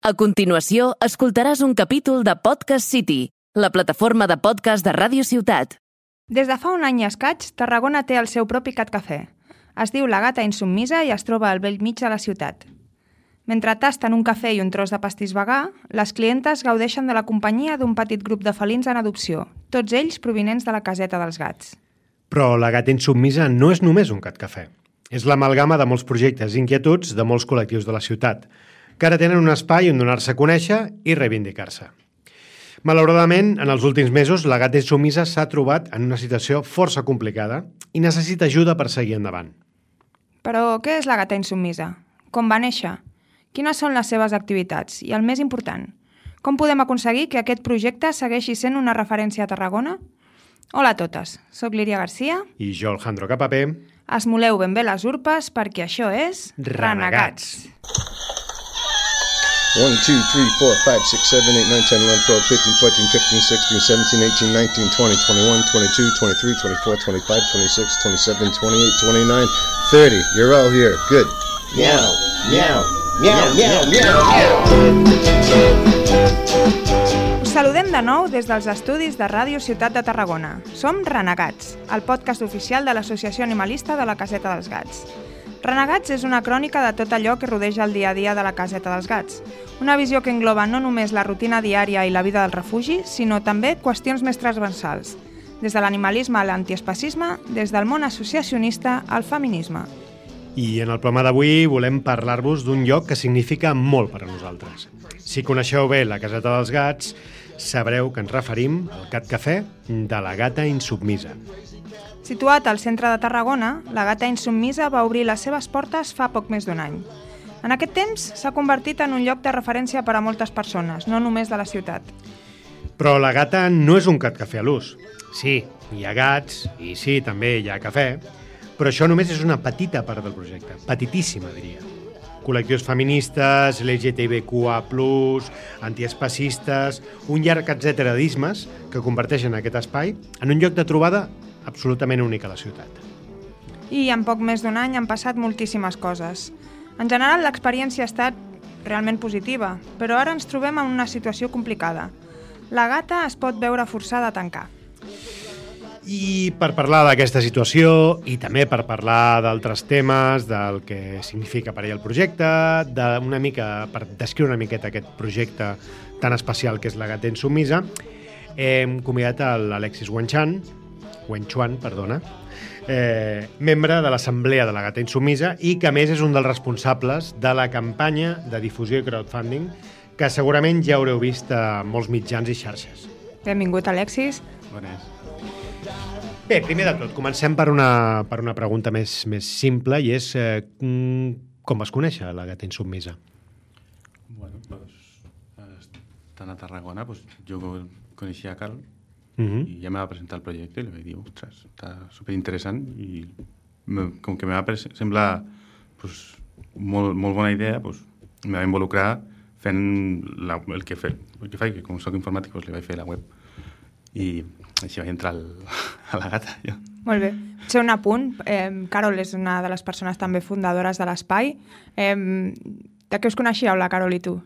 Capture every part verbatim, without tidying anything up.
A continuació, escoltaràs un capítol de Podcast City, la plataforma de podcast de Ràdio Ciutat. Des de fa un any i escaig, Tarragona té el seu propi cat cafè. Es diu La Gata Insubmisa i es troba al bell mig de la ciutat. Mentre tasten un cafè i un tros de pastís vegà, les clientes gaudeixen de la companyia d'un petit grup de felins en adopció, tots ells provinents de la caseta dels gats. Però La Gata Insubmisa no és només un cat cafè. És l'amalgama de molts projectes i inquietuds de molts col·lectius de la ciutat, que ara tenen un espai on donar-se a conèixer i reivindicar-se. Malauradament, en els últims mesos, La Gata Insubmisa s'ha trobat en una situació força complicada i necessita ajuda per seguir endavant. Però què és La Gata Insubmisa? Com va néixer? Quines són les seves activitats? I el més important, com podem aconseguir que aquest projecte segueixi sent una referència a Tarragona? Hola a totes, soc Líria Garcia. I jo, Alejandro Capapé. Esmoleu ben bé les urpes perquè això és Renegats. one, two, three, four, five, six, seven, eight, nine, ten, eleven, twelve, thirteen, fourteen, fifteen, sixteen, seventeen, eighteen, nineteen, twenty, twenty-one, twenty-two, twenty-three, twenty-four, twenty-five, twenty-six, twenty-seven, twenty-eight, twenty-nine, thirty. You're all here. Good. Meow, meow, meow, meow, meow, meow. Us saludem de nou des dels estudis de Ràdio Ciutat de Tarragona. Som Renegats, el podcast oficial de l'Associació Animalista de la Caseta dels Gats. Renegats és una crònica de tot allò que rodeja el dia a dia de la Caseta dels Gats. Una visió que engloba no només la rutina diària i la vida del refugi, sinó també qüestions més transversals, des de l'animalisme a l'antiespacisme, des del món associacionista al feminisme. I en el programa d'avui volem parlar-vos d'un lloc que significa molt per a nosaltres. Si coneixeu bé la Caseta dels Gats, sabreu que ens referim al Cat Cafè de La Gata Insubmisa. Situat al centre de Tarragona, La Gata Insubmisa va obrir les seves portes fa poc més d'un any. En aquest temps s'ha convertit en un lloc de referència per a moltes persones, no només de la ciutat. Però La Gata no és un cat cafè a l'ús. Sí, hi ha gats, i sí, també hi ha cafè, però això només és una petita part del projecte, petitíssima, diria. Col·lectius feministes, L G T B Q A plus, antiespacistes, un llarg etcètera d'ismes que converteixen aquest espai en un lloc de trobada absolutament únic a la ciutat. I en poc més d'un any han passat moltíssimes coses. En general, l'experiència ha estat realment positiva, però ara ens trobem en una situació complicada. La Gata es pot veure forçada a tancar. I per parlar d'aquesta situació i també per parlar d'altres temes, del que significa per ell el projecte, d'una mica, per descriure una miqueta aquest projecte tan especial que és La Gata Insubmisa, hem convidat a l'Alexis Wenchuan, Wenchuan, perdona, eh, membre de l'Assemblea de La Gata Insubmisa i que a més és un dels responsables de la campanya de difusió i crowdfunding que segurament ja haureu vist a molts mitjans i xarxes. Benvingut, Alexis. Bones. Bé, primer de tot, comencem per una, per una pregunta més, més simple i és eh, com vas conèixer La Gata Insubmisa? Bueno, pues, estant a Tarragona, pues, jo coneixia a Carl Uh-huh. i ja me va presentar el projecte i li vaig dir, ostres, està superinteressant i me, com que me va semblar pues, molt, molt bona idea, pues, me va involucrar fent la, el, que fe, el que faig, que com soc informàtic pues, li vaig fer la web i així vaig entrar al, a La Gata. Jo. Molt bé. Ser un apunt, eh, Carol és una de les persones també fundadores de l'espai. Eh, de què us coneixíeu, la Carol i tu?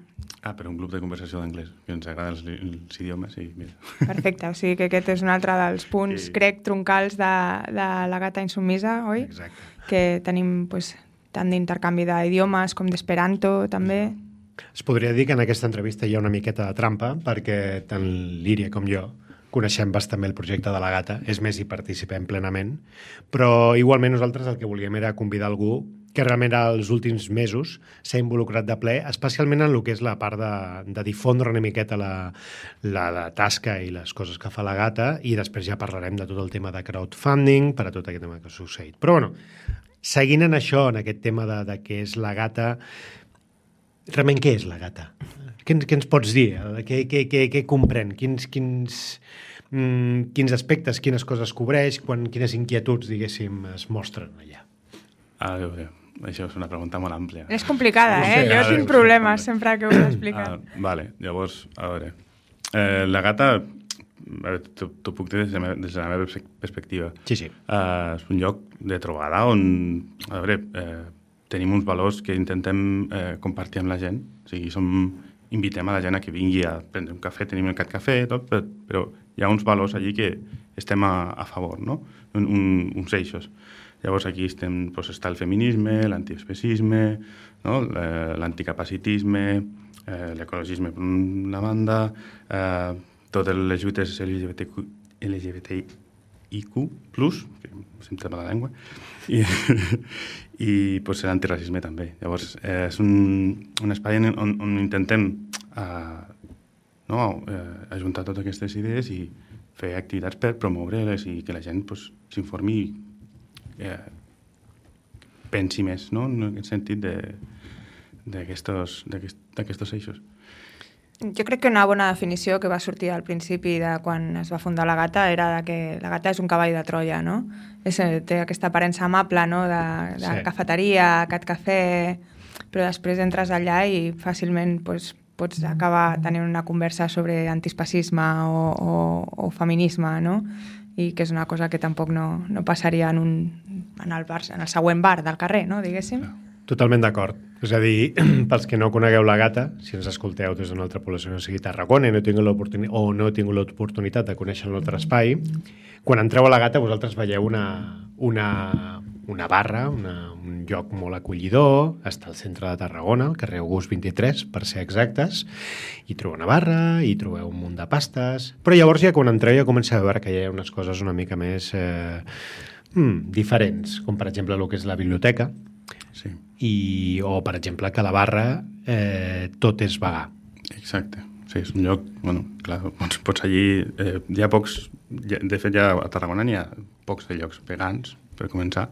Ah, per un grup de conversació d'anglès, que ens agraden els, els idiomes i mira. Perfecte, o sigui que aquest és un altre dels punts, sí. crec, troncals de, de La Gata Insubmisa, oi? Exacte. Que tenim pues, tant d'intercanvi d'idiomes com d'esperanto, també. Es podria dir que en aquesta entrevista hi ha una miqueta de trampa perquè tant Líria com jo coneixem bastant bé el projecte de La Gata, és més, hi participem plenament, però igualment nosaltres el que volíem era convidar algú que realment als últims mesos s'ha involucrat de ple, especialment en el que és la part de, de difondre una miqueta la, la, la tasca i les coses que fa La Gata, i després ja parlarem de tot el tema de crowdfunding per a tot aquest tema que ha succeït. Però bueno, seguint en això, en aquest tema de, de què és La Gata, realment què és La Gata? Què, què ens pots dir? Què, què, què, què comprèn? Quins, quins, mm, quins aspectes, quines coses cobreix, quan, quines inquietuds, diguéssim, es mostren allà? A veure, això és una pregunta molt àmplia. És complicada, eh? Sí, jo veure, tinc problemes sempre que ho explica. Ah, vale, llavors, a veure, eh, La Gata, t'ho puc dir des de, la meva, des de la meva perspectiva. Sí, sí. Uh, és un lloc de trobada on, a veure, eh, tenim uns valors que intentem eh, compartir amb la gent. O sigui, som invitem a la gent a que vingui a prendre un cafè, tenim el Cat Cafè, tot, però, però hi ha uns valors allí que estem a, a favor, no? Un, un, uns eixos. Llavors aquí estem, doncs, està el feminisme, l'antiespecisme, no? L'anticapacitisme, eh, l'ecologisme per una banda, eh, totes les lluites L G B T Q, L G B T I Q plus, que se'm trema la llengua, i, i pues, l'antiracisme també. Llavors, eh, és un, un espai on, on intentem eh, no, eh, ajuntar totes aquestes idees i fer activitats per promoure-les i que la gent pues, s'informi i eh, pensi més, no?, en aquest sentit d'aquests eixos. Jo crec que una bona definició que va sortir al principi de quan es va fundar la Gata era de que la Gata és un cavall de Troia, no? És, té aquesta aparença amable, no?, de, de sí. cafeteria, cat cafè, però després entres allà i fàcilment pues, pots acabar tenint una conversa sobre antiespecisme o, o, o feminisme, no? I que és una cosa que tampoc no, no passaria en, un, en, el bar, en el següent bar del carrer, no?, diguéssim. Totalment d'acord. És a dir, pels que no conegueu la Gata, si ens escolteu des d'una altra població, no sigui Tarragona, i no tingueu l'oportunitat o no tingut l'oportunitat de conèixer el nostre espai, quan entreu a la Gata vosaltres veieu una, una, una barra, una, un lloc molt acollidor, està al centre de Tarragona, al carrer August vint-i-tres, per ser exactes, i trobeu una barra, i trobeu un munt de pastes, però llavors ja quan entreu ja comenceu a veure que hi ha unes coses una mica més eh, hmm, diferents, com per exemple el que és la biblioteca, sí. I, o per exemple que a la barra eh, tot és vegà. Exacte, sí, és un lloc, bueno, clar, pots, pots allí, eh, hi ha pocs, de fet ja a Tarragona n'hi ha pocs de llocs vegans, per començar,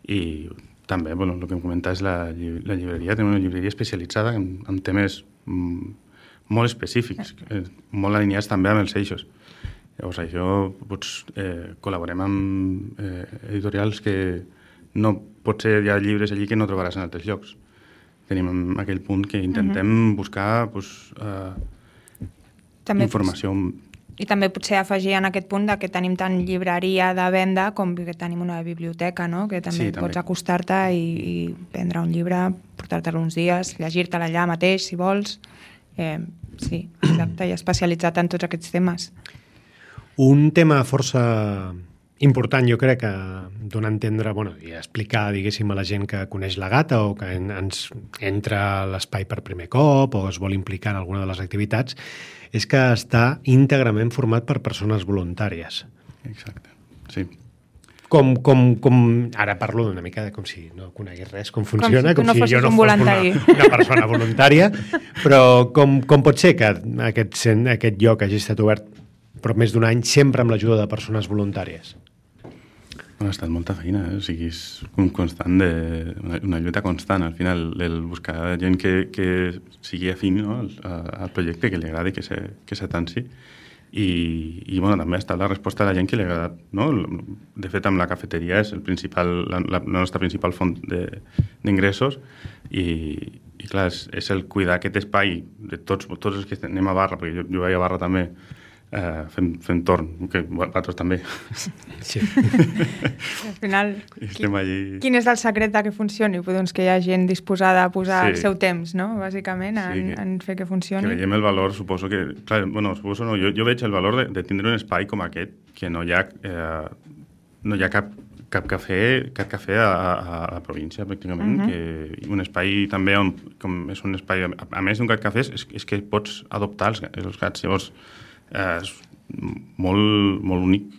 i també, bueno, el que em comenta és la, la llibreria, tenim una llibreria especialitzada en, en temes mm, molt específics, eh, molt alineats també amb els eixos. Llavors això, pots, eh, col·laborem amb eh, editorials que no potser hi ha llibres allí que no trobaràs en altres llocs. Tenim aquell punt que intentem uh-huh. buscar pues, uh, també informació. I també potser afegir en aquest punt de que tenim tant llibreria de venda com que tenim una biblioteca, no? Que també sí, pots acostar-te i, i prendre un llibre, portar-te'l uns dies, llegir-te'l allà mateix, si vols. Eh, sí, exacte, i especialitzat en tots aquests temes. Un tema força important, jo crec, que donar a entendre, bueno, i explicar, diguéssim, a la gent que coneix la Gata o que en, ens entra a l'espai per primer cop o es vol implicar en alguna de les activitats, és que està íntegrament format per persones voluntàries. Exacte, sí. Com, com, com, ara parlo d'una mica de com si no conegués res, com funciona, com si, com no si jo no un fos una, una persona voluntària, però com, com pot ser que aquest, aquest lloc hagi estat obert per més d'un any sempre amb l'ajuda de persones voluntàries? Ha estat molta feina, eh? O sigui, és un constant de, una, una lluita constant, al final, el buscar gent que, que sigui afín, no?, al, al projecte, que li agradi, que se, que s'atansi. I, i bueno, també ha estat la resposta de la gent que li ha agradat, no? De fet, amb la cafeteria és el principal, la, la nostra principal font d'ingressos i, i clar, és, és el cuidar aquest espai de tots, tots els que anem a barra, perquè jo, jo vaig a barra també, Uh, fem, fem torn, que vosaltres també. Sí. Al final, estem allí... quin és el secret que funcioni? Doncs que hi ha gent disposada a posar sí. el seu temps, no?, bàsicament, en, sí, que, en fer que funcioni. Que veiem el valor, suposo que... Clar, bueno, suposo no, jo, jo veig el valor de, de tindre un espai com aquest, que no hi ha, eh, no hi ha cap, cap cafè, cap cafè a, a, a la província, pràcticament, uh-huh. que un espai també on, com és un espai, a, a més d'un cat cafè, és, és que pots adoptar els, els gats, llavors és molt, molt únic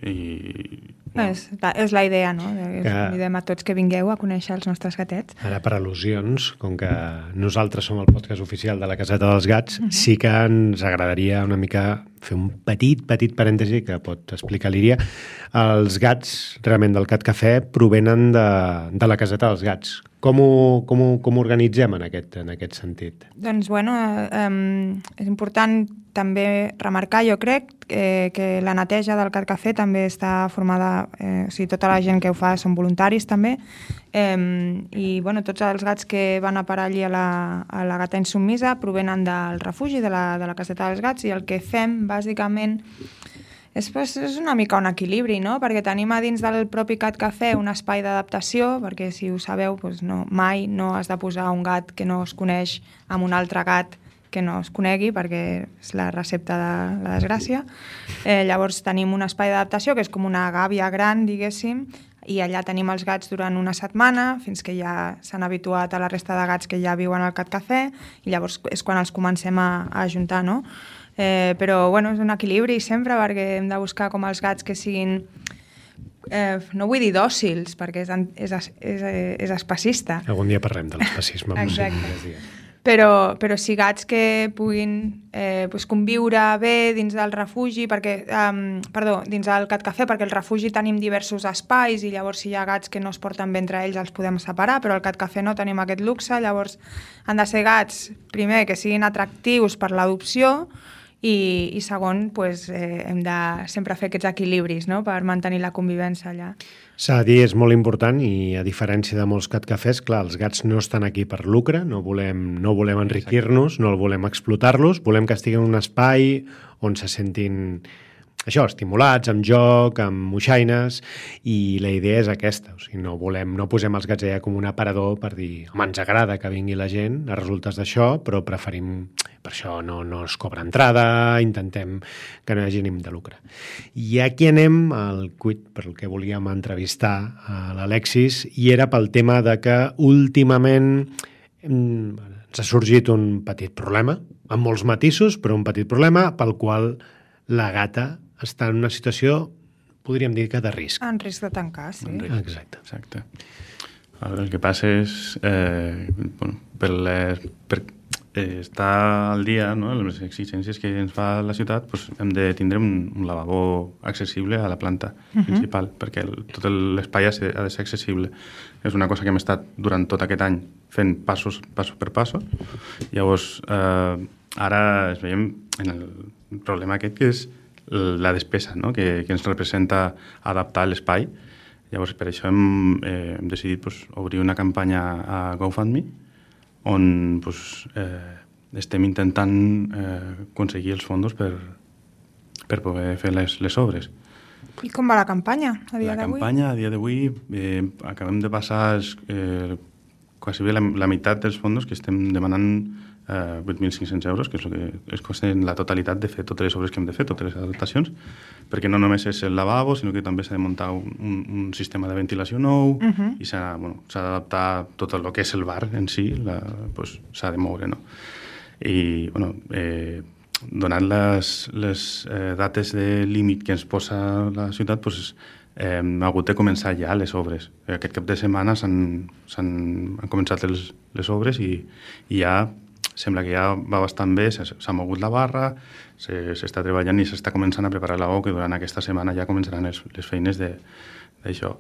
i... Bueno. És, és la idea, no? Que... Convidem a tots que vingueu a conèixer els nostres gatets. Ara, per al·lusions, com que nosaltres som el podcast oficial de la Caseta dels Gats, uh-huh. sí que ens agradaria una mica fer un petit, petit parèntesi que pot explicar l'Iria. Els gats, realment, del Cat Cafè provenen de, de la Caseta dels Gats. Com ho, com ho, com ho organitzem en aquest, en aquest sentit? Doncs, bueno, eh, és important també remarcar, jo crec, eh, que la neteja del Cat Cafè també està formada, eh, o sigui, tota la gent que ho fa són voluntaris també, eh, i, bueno, tots els gats que van a parar allí a la, a la Gata Insubmisa provenen del refugi de la, de la Caseta dels Gats, i el que fem, bàsicament, És, pues, és una mica un equilibri, no? Perquè tenim a dins del propi Cat Cafè un espai d'adaptació, perquè si ho sabeu, pues no, mai no has de posar un gat que no es coneix amb un altre gat que no es conegui perquè és la recepta de la desgràcia. Eh, llavors tenim un espai d'adaptació que és com una gàbia gran, diguéssim, i allà tenim els gats durant una setmana fins que ja s'han habituat a la resta de gats que ja viuen al Cat Cafè i llavors és quan els comencem a, a ajuntar, no? Eh, però bueno, és un equilibri sempre perquè hem de buscar com els gats que siguin, eh, no vull dir dòcils perquè és, és, és, és espacista. Algun dia parlem de l'espacisme. Exacte. Però, però sí gats que puguin eh, pues conviure bé dins del refugi, perquè, um, perdó, dins del Cat Cafè, perquè al refugi tenim diversos espais i llavors si hi ha gats que no es porten bé entre ells els podem separar, però al Cat Cafè no tenim aquest luxe, llavors han de ser gats, primer, que siguin atractius per l'adopció i, i segon, pues, eh, hem de sempre fer aquests equilibris, no?, per mantenir la convivència allà. S'ha de dir, és molt important i a diferència de molts Cat Cafès, clar, els gats no estan aquí per lucre, no volem, no volem enriquir-nos, no volem explotar-los, volem que estiguin en un espai on se sentin això, estimulats, amb joc, amb moixaines, i la idea és aquesta. O sigui, no volem, no posem els gats allà com un aparador per dir, home, ens agrada que vingui la gent a resultes d'això, però preferim, per això no, no es cobra entrada, intentem que no hi hagi ànim de lucre. I aquí anem al quid per el que volíem entrevistar a l'Alexis, i era pel tema de que últimament ens ha sorgit un petit problema, amb molts matisos, però un petit problema pel qual la gata està en una situació, podríem dir que de risc. En risc de tancar, sí. Exacte. Exacte. El que passa és, eh, bueno, per, les, per eh, estar al dia, no?, les exigències que ens fa la ciutat, doncs hem de tindre un, un lavabo accessible a la planta uh-huh. principal, perquè el, tot l'espai ha, ha de ser accessible. És una cosa que hem estat durant tot aquest any fent passos, passo per passo. Llavors, eh, ara es veiem en el problema aquest, que és la despesa, no?, que, que ens representa adaptar l'espai. Llavors, per això hem, eh, hem decidit pues, obrir una campanya a GoFundMe on pues, eh, estem intentant eh, aconseguir els fons per, per poder fer les, les obres. I com va la campanya a dia la d'avui? La campanya a dia d'avui eh, acabem de passar eh, quasi bé la, la meitat dels fons que estem demanant Uh, vuit mil cinc-cents euros, que és el que es costa en la totalitat de fer totes les obres que hem de fer, totes les adaptacions, perquè no només és el lavabo, sinó que també s'ha de muntar un, un, un sistema de ventilació nou uh-huh. i s'ha bueno, d'adaptar tot el que és el bar en si, la, pues, s'ha de moure, no? I, bueno, eh, donant les, les eh, dates de límit que ens posa la ciutat, pues, eh, hem hagut de començar ja les obres. Aquest cap de setmana s'han, s'han han començat les, les obres i, i ja sembla que ja va bastant bé, s'ha mogut la barra, s'està treballant i s'està començant a preparar l'ou, que durant aquesta setmana ja començaran les, les feines d'això.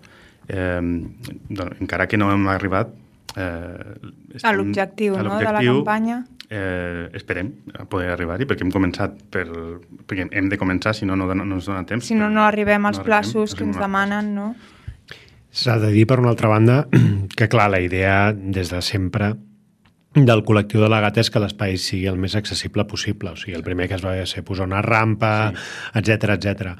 Eh, doncs, encara que no hem arribat eh, a l'objectiu, no?, de la campanya. Eh, esperem a poder arribar-hi, perquè hem començat per, perquè hem de començar, si no, no, no ens dona temps. Si no, no arribem als no plaços que ens demanen, no? S'ha de dir, per una altra banda, que clar, la idea des de sempre del col·lectiu de la gata és que l'espai sigui el més accessible possible. O sigui, el primer que es va ser posar una rampa, etcètera, sí. etcètera.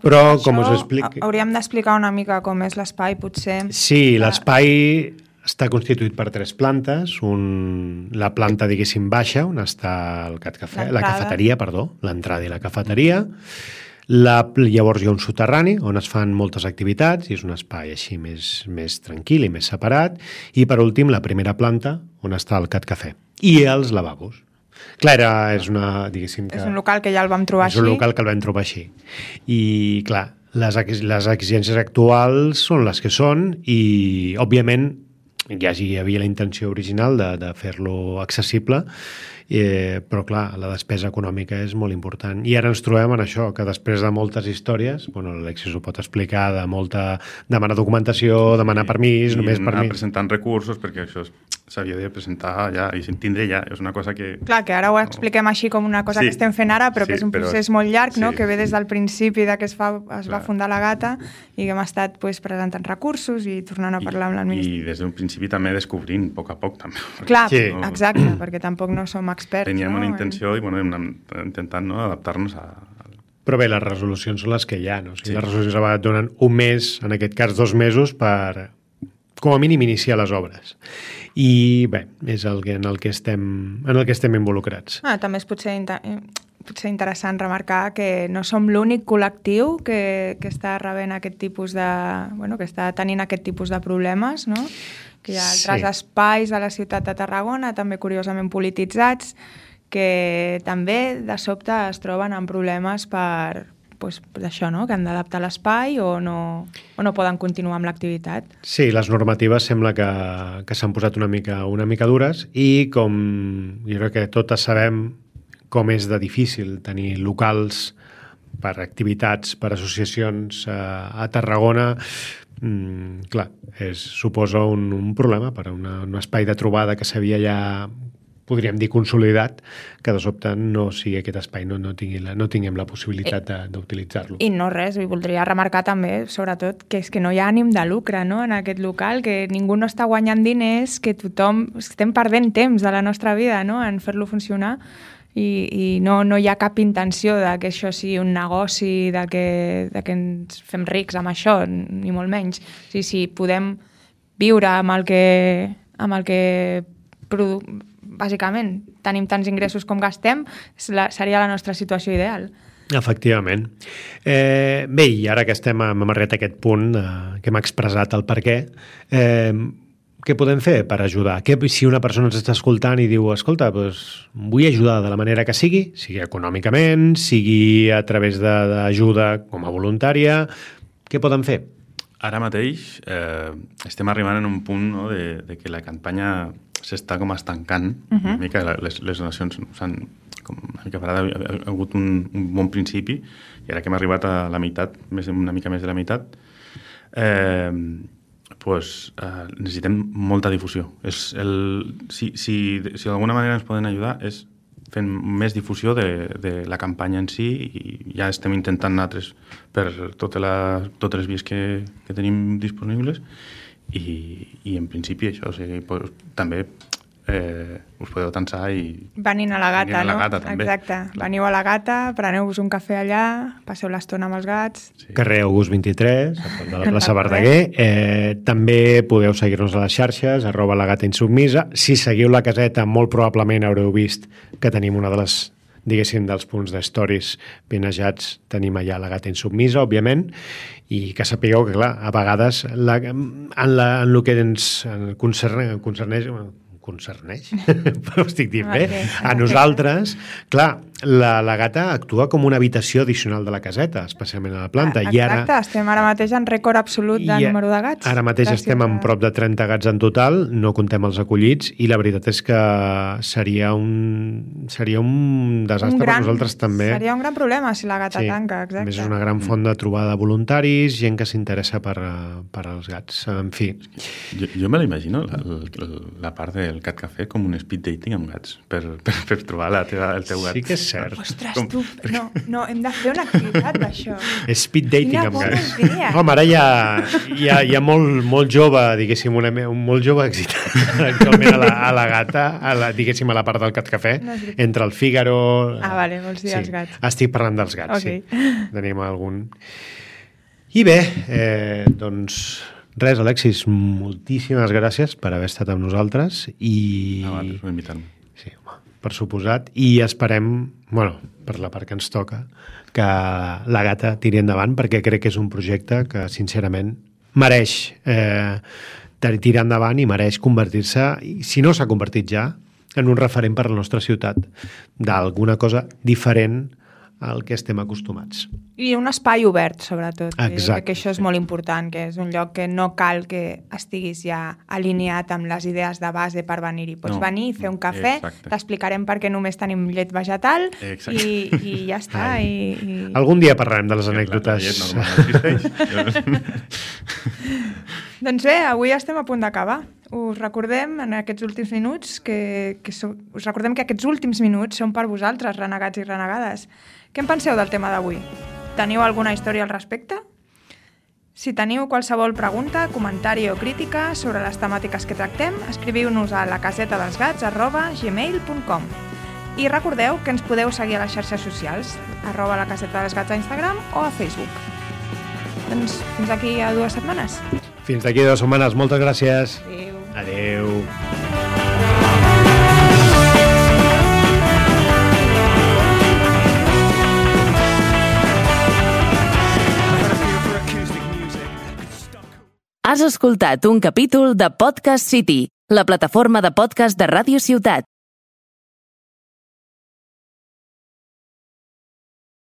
Però, com us explico... Hauríem d'explicar una mica com és l'espai, potser. Sí, l'espai està constituït per tres plantes. Un, la planta, diguéssim, baixa, on està el Cat Cafè, la cafeteria, perdó, l'entrada i la cafeteria. La, llavors hi ha un soterrani on es fan moltes activitats i és un espai així més, més tranquil i més separat. I per últim, la primera planta on està el Cat Cafè i els lavabos. Clar, era, és, una, diguéssim que, és un local que ja el vam trobar és així. És un local que el vam trobar així. I clar, les, les exigències actuals són les que són i, òbviament, ja hi havia la intenció original de, de fer-lo accessible, eh, però clar, la despesa econòmica és molt important. I ara ens trobem en això, que després de moltes històries, bueno, l'Alexis ho pot explicar, de molta demanar documentació, demanar permís, i només anar permís. presentant recursos, perquè això s'havia de presentar ja i tindre ja, és una cosa que... Clar, que ara ho expliquem així com una cosa sí. que estem fent ara, però sí, que és un procés però... molt llarg, no? sí. que ve des del principi de que es, fa, es Clar. va fundar la gata i que hem estat pues, presentant recursos i tornant a parlar I, amb l'administració. I des d'un principi també descobrint, a poc a poc també. Clar, sí. no... exacte, perquè tampoc no som experts. Teníem no? una intenció i bueno, hem anat intentant no, adaptar-nos a... Però bé, les resolucions són les que hi ha, no? O sigui, sí. les resolucions a vegades donen un mes, en aquest cas dos mesos, per com a mínim iniciar les obres. I bé, és el que, en, el que estem, en el que estem involucrats. Ah, també és potser, inter... potser interessant remarcar que no som l'únic col·lectiu que, que està rebent aquest tipus de... Bueno, que està tenint aquest tipus de problemes, no? Que hi ha altres sí. espais a la ciutat de Tarragona, també curiosament polititzats, que també de sobte es troben amb problemes per, pues, d'això, no? Que han d'adaptar l'espai o no, o no poden continuar amb l'activitat. Sí, les normatives sembla que, que s'han posat una mica, una mica dures i com jo crec que totes sabem com és de difícil tenir locals per activitats, per associacions a, a Tarragona, mm, clar, és, suposa un, un problema per a una, un espai de trobada que s'havia ja podríem dir consolidat, que de sobte no sigui aquest espai, no, no, tingui la, no tinguem la possibilitat d'utilitzar-lo. I no res, i voldria remarcar també, sobretot, que és que no hi ha ànim de lucre, no?, en aquest local, que ningú no està guanyant diners, que tothom estem perdent temps de la nostra vida, no?, en fer-lo funcionar, i, i no, no hi ha cap intenció de que això sigui un negoci, de que, de que ens fem rics amb això, ni molt menys. O sigui, si podem viure amb el que, amb el que produ... bàsicament, tenim tants ingressos com gastem, seria la nostra situació ideal. Efectivament. Eh, bé, i ara que estem hem arribat a aquest punt, eh, que hem expressat el per què, eh, què podem fer per ajudar? Que, si una persona ens està escoltant i diu, escolta, doncs, vull ajudar de la manera que sigui, sigui econòmicament, sigui a través d'ajuda com a voluntària, què poden fer? Ara mateix eh, estem arribant en un punt, no, de, de que la campanya s'està com estancant. Uh-huh. Una mica les, les donacions s'han com una mica parat, ha, ha hagut un, un bon principi, i ara que hem arribat a la meitat, més, una mica més de la meitat, eh, pues, eh, necessitem molta difusió. És el, si si, si d'alguna manera ens poden ajudar és fent més difusió de, de la campanya en si, i ja estem intentant altres per totes les, totes les vies que, que tenim disponibles, i, i en principi això, o sigui, pues, també eh, us podeu tensar i... Venint a la Gata, a la no? Gata, també. Exacte. Clar. Veniu a la Gata, preneu-vos un cafè allà, passeu l'estona amb els gats... Sí. Carrer August vint-i-tres, a prop de la plaça Verdaguer. Eh, també podeu seguir-nos a les xarxes, arroba la Gata Insubmisa. Si seguiu la caseta, molt probablement haureu vist que tenim una de les, diguéssim, dels punts de stories pinejats, tenim allà la Gata Insubmisa, òbviament, i que sapigueu que, clar, a vegades la, en, la, en el que ens concerneix, concerneix concerneix, però estic dient bé, okay. A nosaltres, clar, la, la Gata actua com una habitació addicional de la caseta, especialment a la planta. Exacte, I ara, estem ara mateix en rècord absolut de número de gats. Ara mateix estem en prop de trenta gats en total, no contem els acollits, i la veritat és que seria un, seria un desastre un gran, per nosaltres també. Seria un gran problema si la Gata sí, tanca, exacte. A més, és una gran font de trobada de voluntaris, gent que s'interessa per, per als gats, en fi. Jo, jo me l'imagino, la, la, la part del Cat Café, com un speed dating amb gats, per, per, per trobar la teva, el teu gat. Sí que és cert. Ostres, com... tu, no, no, hem de fer una activitat d'això. Speed dating Quina amb gats. Idea. Home, ara hi ha, hi ha, hi ha molt, molt jove, diguéssim, una, un molt jove excitat actualment a la, a la Gata, a la, diguéssim, a la part del Cat Café, no, sí. Entre el Fígaro... Ah, vale, vols dir sí. Els gats. Estic parlant dels gats, okay. Sí. Tenim algun... I bé, eh, doncs... Res, Alexis, moltíssimes gràcies per haver estat amb nosaltres i... Ah, vale, per invitar-me. Sí, home, per suposat. I esperem, bueno, per la part que ens toca, que la Gata tiri endavant, perquè crec que és un projecte que, sincerament, mereix eh, tirar endavant i mereix convertir-se, si no s'ha convertit ja, en un referent per a la nostra ciutat, d'alguna cosa diferent al que estem acostumats. I un espai obert, sobretot. Exacte. Que això és molt important, que és un lloc que no cal que estiguis ja alineat amb les idees de base per venir-hi. Pots no. venir, fer un cafè, t'explicarem per què només tenim llet vegetal i, i ja està. I, i... Algun dia parlarem de les anècdotes. Doncs bé, avui estem a punt d'acabar. Us recordem en aquests últims minuts que, que so, us recordem que aquests últims minuts són per vosaltres, renegats i renegades. Què en penseu del tema d'avui? Teniu alguna història al respecte? Si teniu qualsevol pregunta, comentari o crítica sobre les temàtiques que tractem, escriviu-nos a lacasetadelsgats arroba gmail punt com. I recordeu que ens podeu seguir a les xarxes socials, arroba la caseta dels gats a Instagram o a Facebook. Doncs fins aquí a dues setmanes. Fins d'aquí dues setmanes. Moltes gràcies. Adéu. Adéu. Has escoltat un capítol de Podcast City, la plataforma de podcast de Ràdio Ciutat.